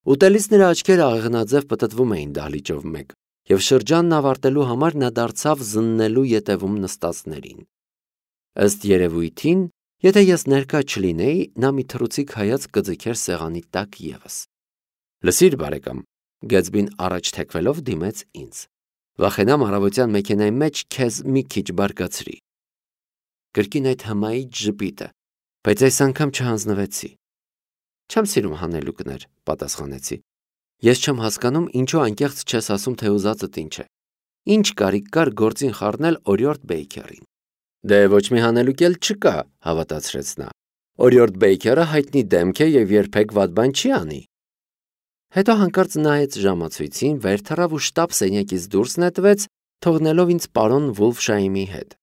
Ուտելիս նրա աչքերը աղեղնաձև պտտվում էին դահլիճով մեկ, և շրջանն ավարտելու համար նա դարձավ զննելու ետևում նստածներին։ Ըստ երևույթին, եթե ես ներկա չլինեի, նա մի թռուցիկ հայացք կձգեր սեղանի տակ ևս։ Լսիր, բարեկամ, Գեթսբին առաջ թեքվելով դիմեց ինձ։ Վախենամ առավոտյան մեքենայի մեջ քեզ մի քիչ բարկացրի։ Կրկին այդ հմայիչ ժպիտը, բայց այս անգամ չհանձնվեցի։ Չեմ սիրում հանելուկներ, պատասխանեցի։ Ես չեմ հասկանում, ինչու անկեղծ չես ասում, թե ուզածդ ինչ է։ Ինչ կարիք կար գործին խառնել Օրիորդ Բեյքերին։ Դե ոչ մի հանելուկ էլ չկա, հավատացրեց նա։ Օրիորդ Բեյքերը հայտնի դեմք է և երբեք վատ բան չի անի։ Հետո հանկարծ նայեց ժամացույցին, վեր թռավ ու շտապ սենյակից դուրս նետվեց, թողնելով ինձ պարոն Վուլֆշայմի հետ։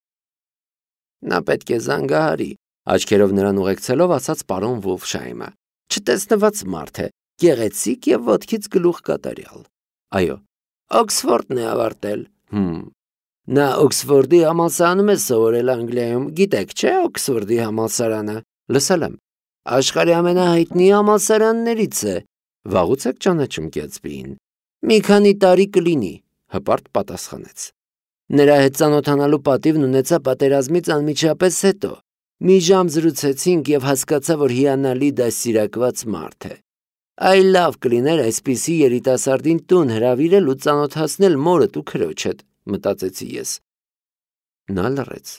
Նա պետք է զանգահարի, աչքերով նրան ուղեկցելով ասաց պարոն Վուլֆշայմը։ Չտեսնված մարդ է, գեղեցիկ և ոտքից գլուխ կատարյալ։ Այո, Օքսֆորդն է ավարտել։ Նա Օքսֆորդի համալսարանում է սովորել Անգլիայում, գիտեք, չէ՞ Օքսֆորդի համալսարանը։ Լսել եմ։ Աշխարհի ամենահայտնի համալսարաններից է։ Վաղուց եք ճանաչում Գեթսբիին։ Մի քանի տարի կլինի, հպարտ պատասխանեց։ Նրա հետ ծանոթանալու պատիվն ունեցա պատերազմից անմիջապես հետո։ Մի ժամ զրուցեցինք և հասկացա, որ հիանալի դաստիարակված մարդ է։ Այ լավ կլիներ այսպիսի երիտասարդին տուն հրավիրել ու ծանոթացնել մորդ ու քրոջդ, մտածեցի ես։ Նա լռեց։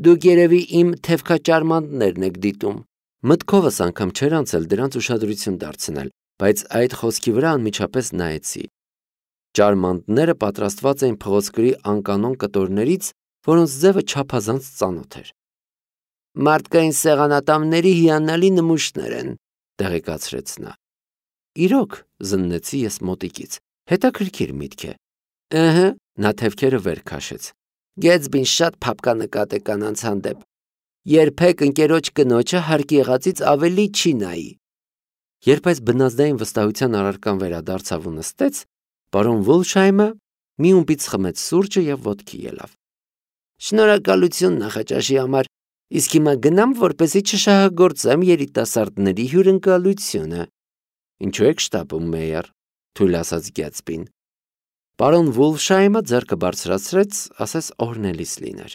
Դուք երևի իմ թևքաճարմանտներն եք դիտում։ Մտքովս անգամ չէր անցել դրանց ուշադրություն դարձնել, բայց այդ խոսքի վրա անմիջապես նայեցի։ Ճարմանտները պատրաստված էին փղոսկրի անկանոն կտորներից, որոնց ձևը չափազանց ծանոթ էր։ Մարդկային սեղանատամների հիանալի նմուշներ են, տեղեկացրեց նա։ Իրոք, զննեցի ես մոտիկից, հետաքրքիր միտք է։ Ըհը, նա թևքերը վեր քաշեց։ Գեթսբին շատ փափկանկատ է կանանց հանդեպ։ Երբեք ընկերոջ կնոջը հարկ եղածից ավելի չի նայի։ Երբ այս բնազդային վստահության առարկան վերադարձավ ու նստեց, պարոն Վուլֆշայմը մի ումպից խմեց սուրճը և ոտքի ելավ։ Շնորհակալություն նախաճաշի համար, իսկ հիմա գնամ, որպեսզի չշահագործեմ երիտասարդների հյուրընկալությունը։ Ինչու եք շտապում, մեյր, թույլ ասաց Գեթսբին։ Պարոն Վուլֆշայմը ձեռքը բարձրացրեց, ասես օրհնելիս լիներ։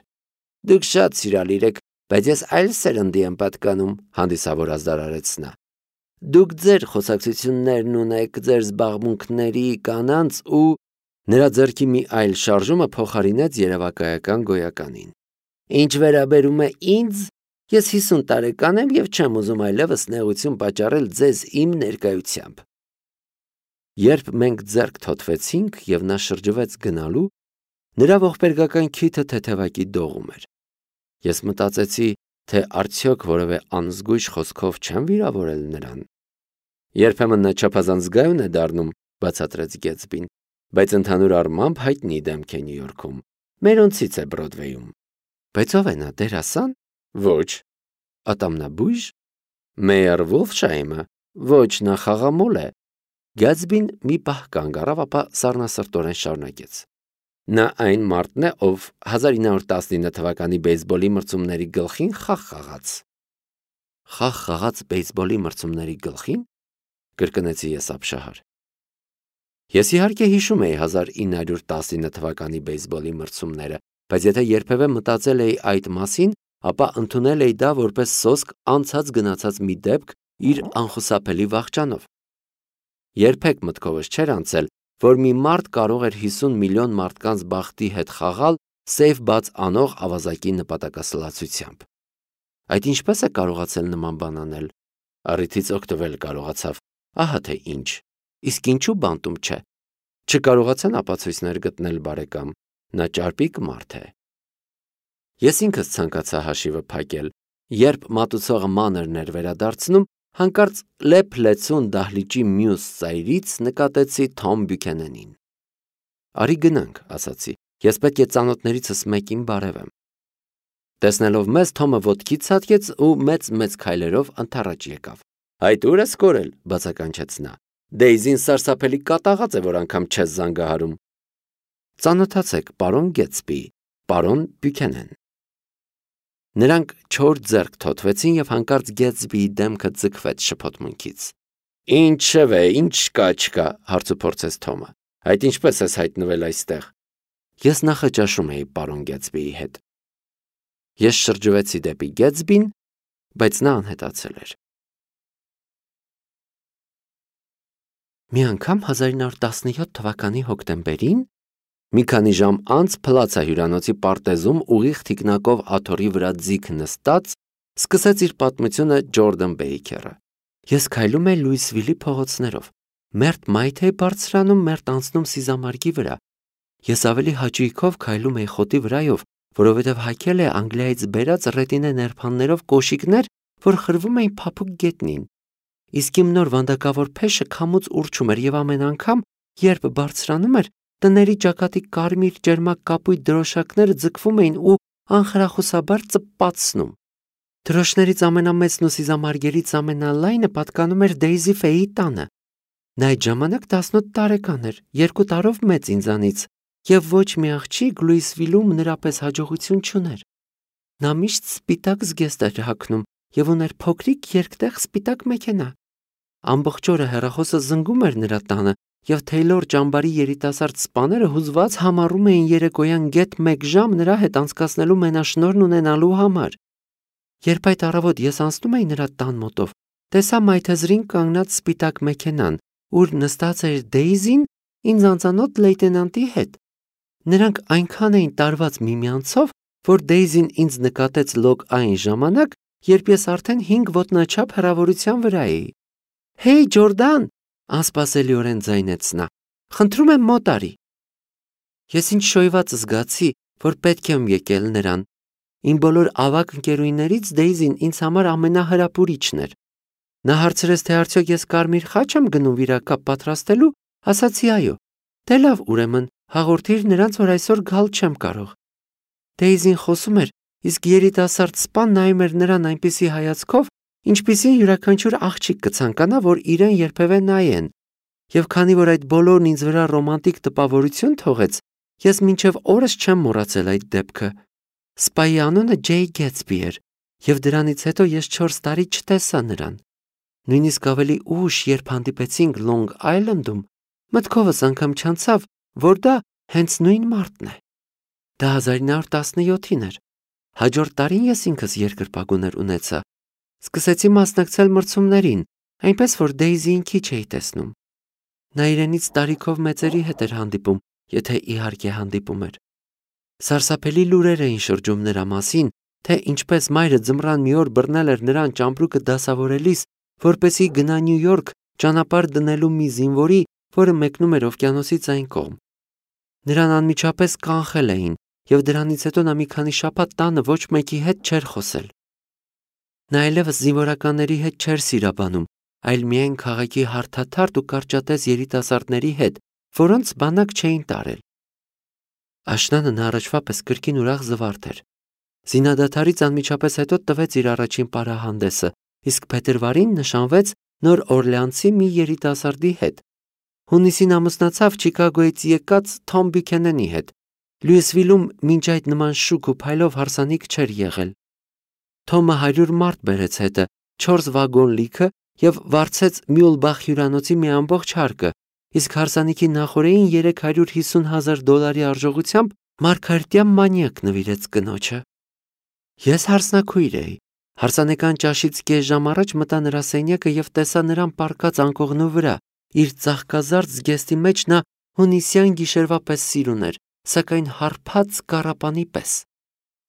Դուք շատ սիրալիր եք, բայց ես այլ սերնդի եմ պատկանում, հանդիսավոր ազդարարեց նա։ Դուք ձեր խոսակցություններն ունեք, ձեր զբաղմունքների, կանանց ու… Նրա ձեռքի մի այլ շարժումը փոխարինեց երևակայական գոյականին։ Ինչ վերաբերում է ինձ, ես 50 տարեկան եմ և չեմ ուզում այլևս նեղություն պատճառել ձեզ իմ ներկայությամբ։ Երբ մենք ձեռք թոթվեցինք և նա շրջվեց գնալու, նրա ողբերգական քիթը թեթևակի դողում էր։ Ես մտածեցի, թե արդյոք որևէ անզգույշ խոսքով չեմ վիրավորել նրան։ Երբեմն նա չափազանց զգայուն է դառնում, բացատրեց Գեթսբին, բայց ընդհանուր առմամբ հայտնի դեմք է Նյու Յորքում։ Մերոնցից է Բրոդվեյում։ Բայց ով է նա, դերասան։ Ոչ։ Ատամնաբույժ։ Մեյր Վուլֆշայմը։ Ոչ, նա խաղամոլ է։ Գեթսբին մի պահ կանգ առավ, ապա սառնասրտորեն շարունակեց։ Նա այն մարդն է, ով 1919 թվականի բեյսբոլի մրցումների գլխին խաղ խաղաց։ Խաղ խաղաց բեյսբոլի մրցումների գլխին, կրկնեցի ես ապշահար։ Ես իհարկե հիշում էի 1919 թվականի բեյսբոլի մրցումները, բայց եթե երբևէ մտածել էի այդ մասին, ապա ընդունել էի դա որպես սոսկ անցած գնացած մի դեպք իր անխուսափելի վախճանով։ Երբեք մտքովս չէր անցել, որ մի մարդ կարող էր 50 միլիոն մարդկանց բախտի հետ խաղալ սեյֆ բաց անող ավազակի նպատակասլացությամբ։ Այդ ինչպես է կարողացել նման բան անել։ Առիթից օգտվել կարողացավ, ահա թե ինչ։ Իսկ ինչու բանտում չէ։ Չկարողացան ապացույցներ գտնել, բարեկամ, նա ճարպիկ մարդ է։ Ես ինքս ցանկացա հաշիվը փակել, երբ մատուցողը մանրն էր վերադարձնում, հանկարծ լեփ-լեցուն դահլիճի մյուս ծայրից նկատեցի Թոմ Բյուքենենին։ Արի գնանք, ասացի, ես պետք է ծանոթներիցս մեկին բարևեմ։ Տեսնելով մեզ, Թոմը ոտքի ցատկեց ու մեծ քայլերով ընդառաջ եկավ։ Այդ ուր ես կորել, բացականչեց նա։ Դեյզին սարսափելի կատաղած է, որ անգամ չես զանգահարում։ Ծանոթացեք, պարոն Գեթսբի, պարոն Բյուքենեն։ Նրանք չոր ձեռք թոթվեցին և հանկարծ Գեթսբիի դեմքը ձգվեց շփոթմունքից։ Ինչևէ, ինչ կա, չկա, հարցուփորձեց Թոմը։ Այդ ինչպես ես հայտնվել այստեղ։ Ես նախաճաշում էի պարոն Գեթսբիի հետ։ Ես շրջվեցի դեպի Գեթսբին, բայց նա անհետացել էր։ Մի անգամ 1917 թվականի հոկտեմբերին մի քանի ժամ անց Փլացա հյուրանոցի պարտեզում ուղիղ թիկնակով աթոռի վրա ձիգ նստած սկսեց իր պատմությունը Ջորդան Բեյքերը։ Ես քայլում էի Լուիսվիլի փողոցներով, մերթ մայթ էի բարձրանում, մերթ անցնում Սիզամարգի վրա։ Ես ավելի հաճույքով քայլում էի խոտի վրայով, որովհետև հագել է Անգլիայից բերած ռետինե ներփաններով կոշիկներ, որ խրվում էին փափուկ գետնին։ Իսկ իմ նոր վանդակավոր փեշը քամուց ուռչում էր, եւ ամեն անգամ, երբ բարձրանում էր, տների ճակատի կարմիր ջերմակ կապույտ դրոշակները ձգվում էին ու անխրախուսաբար ծպպացնում։ Դրոշներից ամենամեծն ու Սիզամարգերից ամենալայնը պատկանում էր Դեյզի Ֆեյի տանը։ Նա այդ ժամանակ 18 տարեկան էր, 2 տարով մեծ ինձանից, եւ ոչ մի աղջիկ Լուիսվիլում նրա պես հաջողություն չուներ։ Նա միշտ սպիտակ զգեստ էր հագնում եւ ուներ փոքրիկ երկտեղ սպիտակ մեքենա։ Ամբողջ օրը հեռախոսը զնգում էր նրա տանը, եւ Թեյլոր ճամբարի երիտասարդ սպաները հուզված համառում էին երեկոյան գեթ 1 ժամ նրա հետ անցկացնելու մենաշնորհն ունենալու համար։ Երբ այդ առավոտ ես անցնում էի նրա տան մոտով, տեսա մայթեզրին կանգնած սպիտակ մեքենան, ուր նստած էր Դեյզին ինձ անծանոթ լեյտենանտի հետ։ Նրանք այնքան էին տարված միմյանցով, որ Դեյզին ինձ նկատեց լոկ այն ժամանակ, երբ ես արդեն 5 ոտնաչափ հեռավորության վրա էի։ «Հեյ, Ջորդան», անսպասելիորեն ձայնեց նա, «խնդրում եմ մոտ արի»։ Ես ինչ շոյված զգացի, որ պետք եմ եկել նրան։ Իմ բոլոր ավագ ընկերուհիներից Դեյզին ինձ համար ամենահրապուրիչն էր։ Նա հարցրեց, թե արդյոք ես կարմիր խաչ եմ գնում վիրակապ պատրաստելու, ասացի այո։ Դե լավ, ուրեմն հաղորդիր նրանց, որ այսօր գալ չեմ կարող։ Դեյզին խոսում էր, իսկ երիտասարդ սպան նայում էր նրան այնպիսի հայացքով, ինչպիսին յուրաքանչյուր աղջիկ կցանկանա, որ իրեն երբևէ նայեն։ Եվ քանի որ այդ բոլորն ինձ վրա ռոմանտիկ տպավորություն թողեց, ես մինչև օրս չեմ մոռացել այդ դեպքը։ Սպայի անունը Ջեյ Գեթսբի էր, եւ դրանից հետո ես 4 տարի չտեսա նրան։ Նույնիսկ ավելի ուշ, երբ հանդիպեցինք Լոնգ Այլանդում, մտքովս անգամ չանցավ, որ դա հենց նույն մարդն է։ Դա 1917-ին էր։ Հաջորդ տարին ես ինքս երկրպագուներ ունեցա։ Սկսեցի մասնակցել մրցումներին, այնպես որ Դեյզիին քիչ էի տեսնում։ Նա իրենից տարիքով մեծերի հետ էր հանդիպում, եթե իհարկե հանդիպում էր։ Սարսափելի լուրեր էին շրջում նրա մասին, թե ինչպես մայրը ձմռան մի օր բռնել էր նրան ճամպրուկը դասավորելիս, որպեսզի գնա Նյու Յորք ճանապարհ դնելու մի զինվորի, որը մեկնում էր օվկիանոսից այն կողմ։ Նրան անմիջապես կանխել էին, եւ դրանից հետո նա մի քանի շաբաթ տանը ոչ մեկի հետ չէր խոսել։ Նա այլևս զինվորականների հետ չէր սիրաբանում, այլ միայն քաղաքի հարթաթարթ ու կարճատես երիտասարդների հետ, որոնց բանակ չէին տարել։ Աշնանը նա առաջվա պես կրկին ուրախ զվարթ էր։ Զինադադարից անմիջապես հետո տվեց իր առաջին պարահանդեսը, իսկ փետրվարին նշանվեց Նոր Օրլեանցի մի երիտասարդի հետ։ Հունիսին ամուսնացավ Չիկագոյից եկած Թոմ Բյուքենենի հետ։ Լուիսվիլում մինչ այդ նման շուք ու փայլով հարսանիք չէր եղել։ Թոմը 100 մարդ բերեց հետը, 4 վագոն լիքը եւ վարձեց Մյուլբախ հյուրանոցի մի ամբողջ հարկը, իսկ հարսանիքի նախօրեին $350,000 արժողությամբ մարգարիտյա մանյակ նվիրեց կնոջը։ Ես հարսնաքույր էի։ Հարսանեկան ճաշից կես ժամ առաջ մտա նրա սենյակը եւ տեսա նրան պառկած անկողնու վրա։ Իր ծաղկազարդ զգեստի մեջ նա հունիսյան գիշերվա պես սիրուն էր, սակայն հարբած կառապանի պես։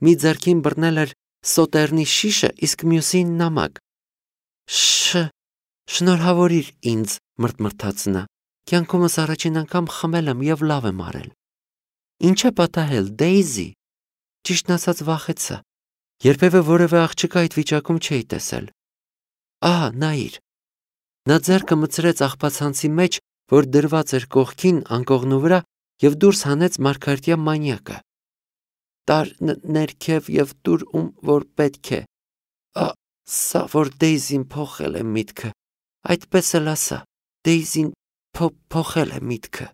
Մի ձեռքին բռնել էր սոտերնի շիշը, իսկ մյուսին նամակ։ Շնորհավորիր ինձ, մրթմրթաց նա։ Կյանքումս առաջին անգամ խմել եմ եւ լավ եմ արել։ Ինչ է պատահել, Դեյզի։ Ճիշտն ասած վախեցա։ Երբևէ որևէ աղջկա այդ վիճակում չէի տեսել։ Ահա, նայիր։ Նա ձեռքը մտցրեց աղբացանցի մեջ, որ դրված էր կողքին անկողնու վրա, եւ դուրս հանեց մարգարիտյա մանյակը։ Տար ներքև եւ դուր ում որ պետք է։ Սա որ Դեյզին փոխել է միտքը։ Այդպես էլ ասա, Դեյզին փոխել է միտքը։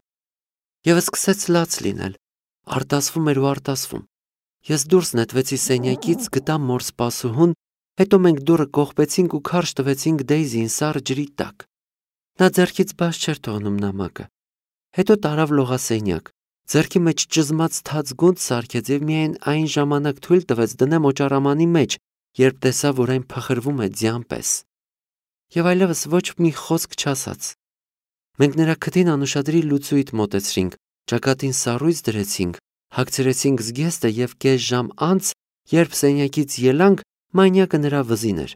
Եվ սկսեց լաց լինել։ Արտասվում էր ու արտասվում։ Ես դուրս նետվեցի սենյակից, գտա մոր սպասուհուն, հետո մենք դուռը կողպեցինք ու քարշ տվեցինք Դեյզիին սառը ջրի տակ։ Նա ձեռքից բաց չէր թողնում նամակը։ Հետո տարավ լողասենյակ, ձեռքի մեջ ճզմած թաց գունդ սարքեց եւ միայն այն ժամանակ թույլ տվեց դնեմ օճառամանի մեջ, երբ տեսավ, որ այն փխրվում է ձյան պես։ Եվ այլևս ոչ մի խոսք չասաց։ Մենք նրա քթին անուշադրի լուծույթ մոտեցրինք, ճակատին սառույց դրեցինք, հագցրեցինք զգեստը եւ կես ժամ անց, երբ սենյակից ելանք, մանյակը նրա վզին էր։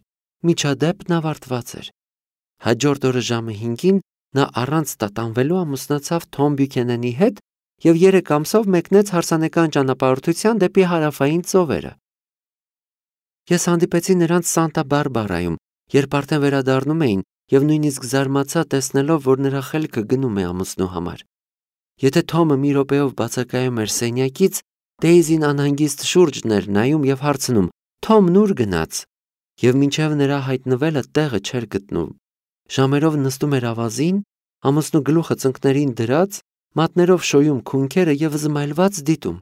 Միջադեպն ավարտված էր։ Հաջորդ օրը ժամը 5-ին նա առանց տատանվելու ամուսնացավ Թոմ Բյուքենենի հետ եւ 3 ամսով մեկնեց հարսանեկան ճանապարհորդության դեպի հարավային ծովերը։ Ես հանդիպեցի նրանց Սանտա Բարբարայում, երբ արդեն վերադառնում էին եւ նույնիսկ զարմացա տեսնելով, որ նրա խելքը գնում է ամուսնու համար։ Եթե Թոմը մի րոպեով բացակայում էր սենյակից, Դեյզին անհանգիստ շուրջն էր նայում եւ հարցնում. «Թոմն ուր գնաց»։ Եվ մինչև նրա հայտնվելը տեղը չէր գտնում։ Ժամերով նստում էր ավազին, ամուսնու գլուխը ծնկներին դրած, մատներով շոյում քունքերը եւ զմայլված դիտում։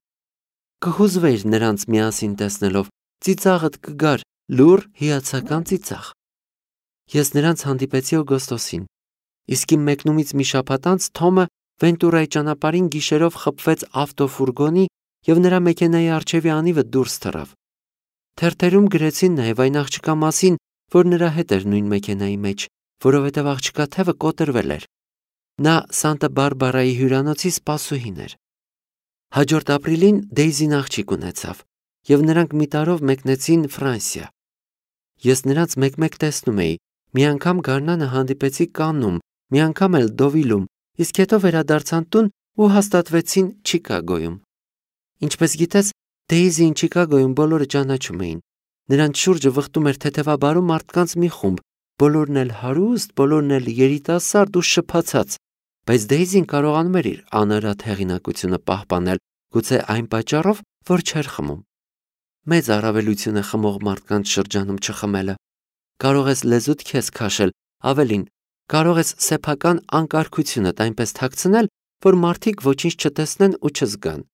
Կհուզվեիր նրանց միասին տեսնելով, ծիծաղդ կգար, լուռ հիացական ծիծաղ։ Ես նրանց հանդիպեցի օգոստոսին, իսկ իմ մեկնումից մի շաբաթ անց Թոմը Վենտուրայի ճանապարհին գիշերով խփվեց ավտոֆուրգոնի եւ նրա մեքենայի առջևի անիվը դուրս թռավ։ Թերթերում գրեցին նաեւ այն աղջկա մասին, որ նրա հետ էր նույն մեքենայի մեջ, որովհետեւ աղջկա թևը կոտրվել էր։ Նա Սանտա Բարբարայի հյուրանոցի սպասուհին էր։ Հաջորդ ապրիլին Դեյզին աղջիկ ունեցավ եւ նրանք մի տարով մեկնեցին Ֆրանսիա։ Ես նրանց մեկ-մեկ տեսնում էի, մի անգամ գարնանը հանդիպեցի Կաննում, մի անգամ էլ Դովիլում, իսկ հետո վերադարձան տուն ու հաստատվեցին Չիկագոյում։ Ինչպես գիտես, Դեյզին Չիկագոյում բոլորը ճանաչում էին։ Նրանց շուրջը վխտում էր թեթևաբարու մարդկանց մի խումբ, բոլորն էլ հարուստ, բոլորն էլ երիտասարդ ու շփացած, բայց Դեյզին կարողանում էր իր անարատ հեղինակությունը պահպանել, գուցե այն պատճառով, որ չէր խմում։ Մեծ առավելություն է խմող մարդկանց շրջանում չխմելը։ Կարող ես լեզուդ քեզ քաշել, ավելին, կարող ես սեփական անկարգությունդ այնպես թաքցնել, որ մարդիկ ոչինչ չտեսնեն ու չզգան։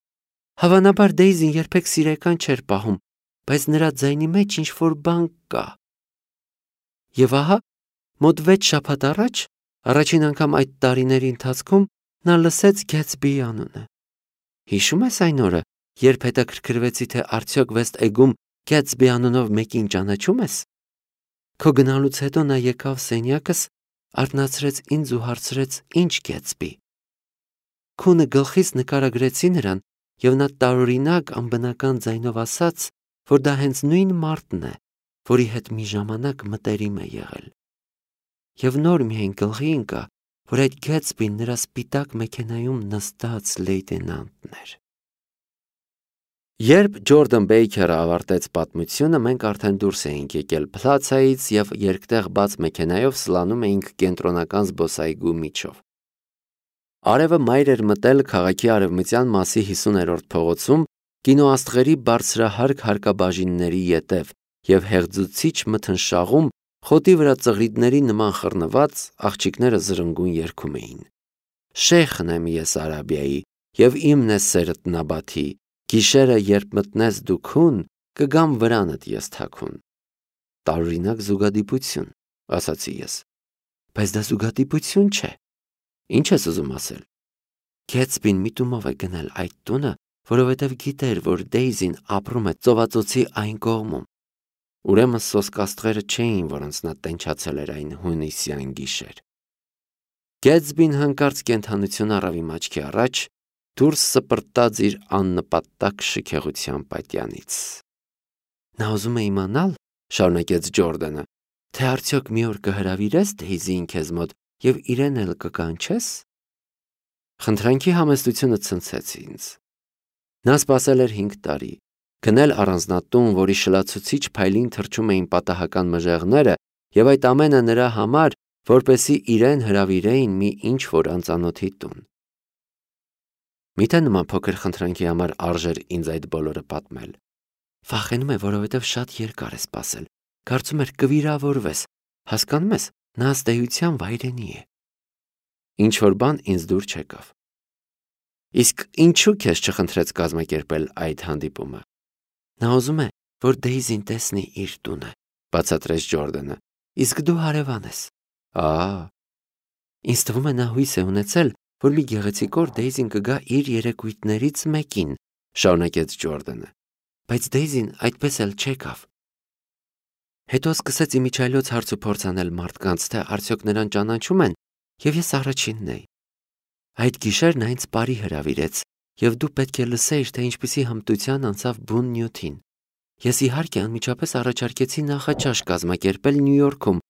Հավանաբար Դեյզին երբեք սիրեկան չէր պահում, բայց նրա ձայնի մեջ ինչ-որ բան կա։ Եվ ահա, մոտ 6 շաբաթ առաջ, առաջին անգամ այդ տարիների ընթացքում, նա լսեց Գեթսբիի անունը։ Հիշում ես այն օրը, երբ հետաքրքրվեցի, թե արդյոք Վեստ Էգում Գեթսբի անունով մեկին ճանաչում ես։ Քո գնալուց հետո նա եկավ սենյակս, արթնացրեց ինձ ու հարցրեց. «Ինչ Գեթսբի»։ Քունը գլխից նկարագրեցի նրան, եւ նա տարօրինակ անբնական ձայնով ասաց, որ դա հենց նույն մարդն է, որի հետ մի ժամանակ մտերիմ է եղել։ Եվ նոր միայն գլխի ընկա, որ այդ Գեթսբին նրա սպիտակ մեքենայում նստած լեյտենանտն էր։ Երբ Ջորդան Բեյքերը ավարտեց պատմությունը, մենք արդեն դուրս էինք եկել Փլացայից եւ երկտեղ բաց մեքենայով սլանում էինք կենտրոնական զբոսայգու միջով։ Արևը մայր էր մտել քաղաքի արևմտյան մասի 50-րդ փողոցում, կինոաստղերի բարձրահարկ հարկաբաժինների ետև եւ հեղձուցիչ մթնշաղում խոտի վրա ծղրիդների նման խռնված աղջիկները զրնգուն երգում էին։ Շեյխն եմ ես Արաբիայի եւ իմն է սերդ Նաբաթի, գիշերը երբ մտնես դու քուն, կգամ վրանդ ես թաքուն։ Տարօրինակ զուգադիպություն, ասացի ես։ Բայց դա զուգադիպություն չէ։ Ինչ ես ուզում ասել։ Գեթսբին միտումով է գնել այդ տունը, որովհետև գիտեր, որ Դեյզին ապրում է ծովածոցի այն կողմում։ Ուրեմն սոսկաստղերը չէին, որոնց նա տենչացել էր այն հունիսյան գիշեր։ Գեթսբին հանկարծ կենդանություն առավ իմ աչքի առաջ, դուրս սպրտած իր աննպատակ շքեղության պատյանից։ Նա ուզում է իմանալ, շարունակեց Ջորդանը, թե արդյոք մի օր կհրավիրես Դեյզին քեզ մոտ եւ իրեն էլ կկանչես։ Խնդրանքի համեստությունը ցնցեց ինձ։ Նա սպասել էր 5 տարի, գնել առանձնատուն, որի շլացուցիչ փայլին թրջում էին պատահական մժեղները, եւ այդ ամենը նրա համար, որպեսզի իրեն հրավիրեին մի ինչ-որ անծանոթի տուն։ Միթե նման փոքր խնդրանքի համար արժեր ինձ այդ բոլորը պատմել։ Վախենում է, որովհետև շատ երկար է սպասել։ Կարծում էր կվիրավորվես։ Հասկանում ես, նա ըստ էության վայրենի է։ Ինչ-որ բան ինձ դուր չեկավ։ Իսկ ինչու քեզ չխնդրեց կազմակերպել այդ հանդիպումը։ Նա ուզում է, որ Դեյզին տեսնի իր տունը, բացատրեց Ջորդանը։ Իսկ դու հարևան ես։ Ինձ թվում է նա հույս է ունեցել, որ մի գեղեցիկ օր Դեյզին կգա իր երեկույթներից մեկին, շարունակեց Ջորդանը, բայց Դեյզին այդպես էլ չեկավ։ Հետո սկսեց իմիջիայլոց հարց ու փորձ անել մարդկանց, թե արդյոք նրան ճանաչում են, եւ ես առաջինն էի։ Այդ գիշեր նա ինձ բարի հրավիրեց, եւ դու պետք է լսեիր, թե ինչպիսի հմտության անցավ բուն նյութին։ Ես իհարկե անմիջապես առաջարկեցի նախաճաշ կազմակերպել Նյու Յորքում։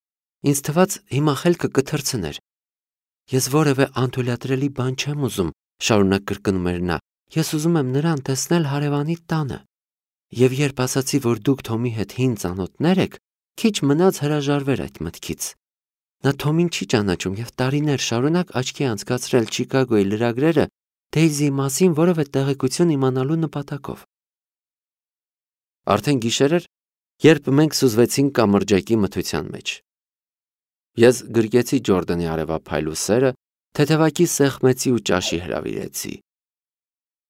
Ինձ թվաց հիմա խելքը կթռցներ։ Ես որևէ անթույլատրելի բան չեմ ուզում, շարունակ կրկնում էր նա։ Ես ուզում եմ նրան տեսնել հարևանի տանը։ Եվ երբ ասացի, որ դուք Թոմի հետ հին ծանոթներ եք, քիչ մնաց հրաժարվեր այդ մտքից։ Նա Թոմին չի ճանաչում եւ տարիներ շարունակ աչքի անցկացրել Չիկագոյի լրագրերը Դեյզիի մասին որևէ տեղեկություն իմանալու նպատակով։ Արդեն գիշեր էր, երբ մենք սուզվեցինք կամրջակի մթության մեջ։ Ես գրկեցի Ջորդանի արևափայլ ուսերը, թեթևակի սեղմեցի ու ճաշի հրավիրեցի։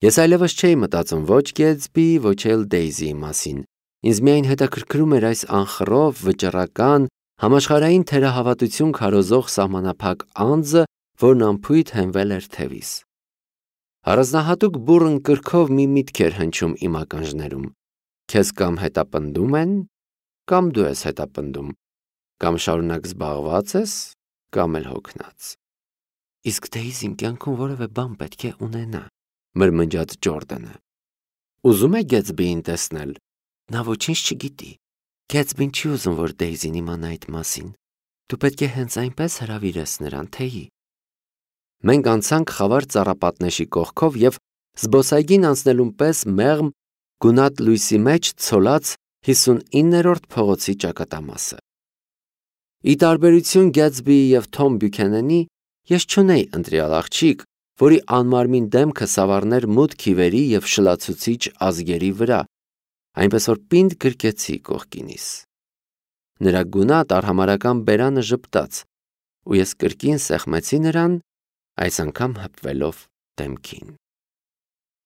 Ես այլևս չէի մտածում ոչ Գեթսբի, ոչ էլ Դեյզիի մասին։ Ինձ միայն հետաքրքրում էր այս անխռով, վճռական, համաշխարհային թերահավատություն քարոզող սահմանափակ անձը, որն անփույթ հենվել էր թևիս։ Առանձնահատուկ բուռն կրքով մի միտք էր հնչում իմ ականջներում. քեզ կամ հետապնդում են, կամ դու ես հետապնդում, կամ շարունակ զբաղված ես, կամ էլ հոգնած։ Իսկ Դեյզին կյանքում որևէ բան պետք է ունենա, մրմնջաց Ջորդանը։ Ուզում է Գեթսբիին տեսնել։ Նա ոչինչ չգիտի։ Գեթսբին չի ուզում, որ Դեյզին իմանա այդ մասին։ Դու պետք է հենց այնպես հրավիրես նրան, թեյի։ Մենք անցանք խավար ծառապատնեշի կողքով եւ զբոսայգին անցնելուն պես մեղմ գունատ լույսի մեջ ցոլած 59-րդ փողոցի ճակատամասը։ Ի տարբերություն Գեթսբիի եւ Թոմ Բյուքենենի, ես չունեի ընտրյալ աղջիկ, որի անմարմին դեմքը սավառներ մութ քիվերի եւ շլացուցիչ ազգերի վրա, այնպես որ պինդ գրկեցի կողքինիս։ Նրա գունատ արհամարական բերանը ժպտաց, ու ես կրկին սեղմեցի նրան, այս անգամ հպվելով դեմքին։